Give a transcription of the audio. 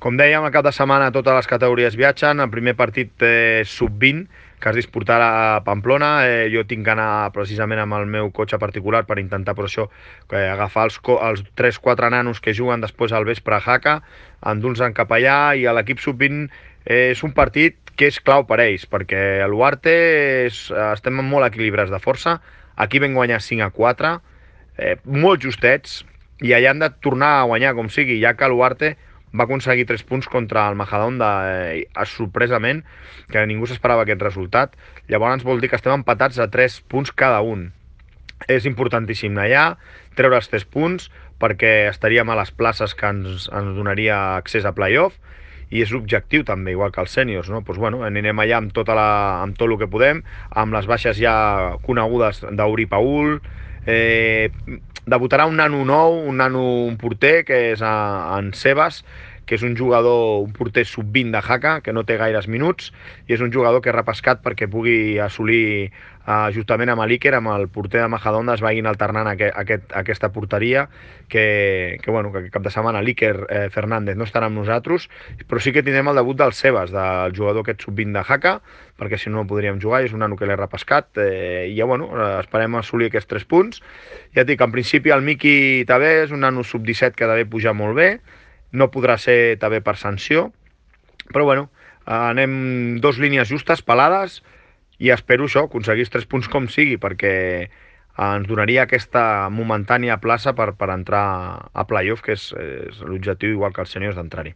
Com dèiem, el cap de setmana totes les categories viatgen. El primer partit sub-20, que es disputarà a Pamplona. Jo tinc que anar precisament amb el meu cotxe particular per intentar, per això, agafar els 3-4 nanos que juguen després al vespre a Jaca, endur-los cap allà, i a l'equip sub-20 és un partit que és clau per ells, perquè a l'Uarte estem molt equilibrats de força. Aquí vam guanyar 5-4, molt justets, i allà han de tornar a guanyar com sigui, ja que l'Uarte va aconseguir 3 punts contra el Majadahonda sorpresament, que ningú s'esperava aquest resultat. Llavors vol dir que estem empatats a 3 punts cada un. És importantíssim anar allà, treure els 3 punts, perquè estaríem a les places que ens donaria accés a playoff, i és l'objectiu també, igual que els sèniors, no? Pues bueno, anirem allà amb tot el que podem, amb les baixes ja conegudes d'Uri Paul. Debutarà un nano nou, un porter, que és en Sebas, que és un jugador, un porter sub-20 de Jaca, que no té gaires minuts, i és un jugador que he repescat perquè pugui assolir, justament amb l'Iker, amb el porter de Majadahonda, es vagin alternant aquesta porteria, bueno, que cap de setmana l'Iker Fernández no estarà amb nosaltres, però sí que tindrem el debut del Sebas, del jugador aquest sub-20 de Jaca, perquè si no podríem jugar, és un nano que l'he repescat, i ja, bueno, esperem assolir aquests 3 punts. Ja et dic, en principi el Miqui també és un nano sub-17 que també puja molt bé, no podrà ser també per sanció, però bueno, anem 2 línies justes, pelades, i espero això, aconseguir 3 punts com sigui, perquè ens donaria aquesta momentània plaça per entrar a playoff, que és l'objectiu, igual que els sèniors, d'entrar-hi.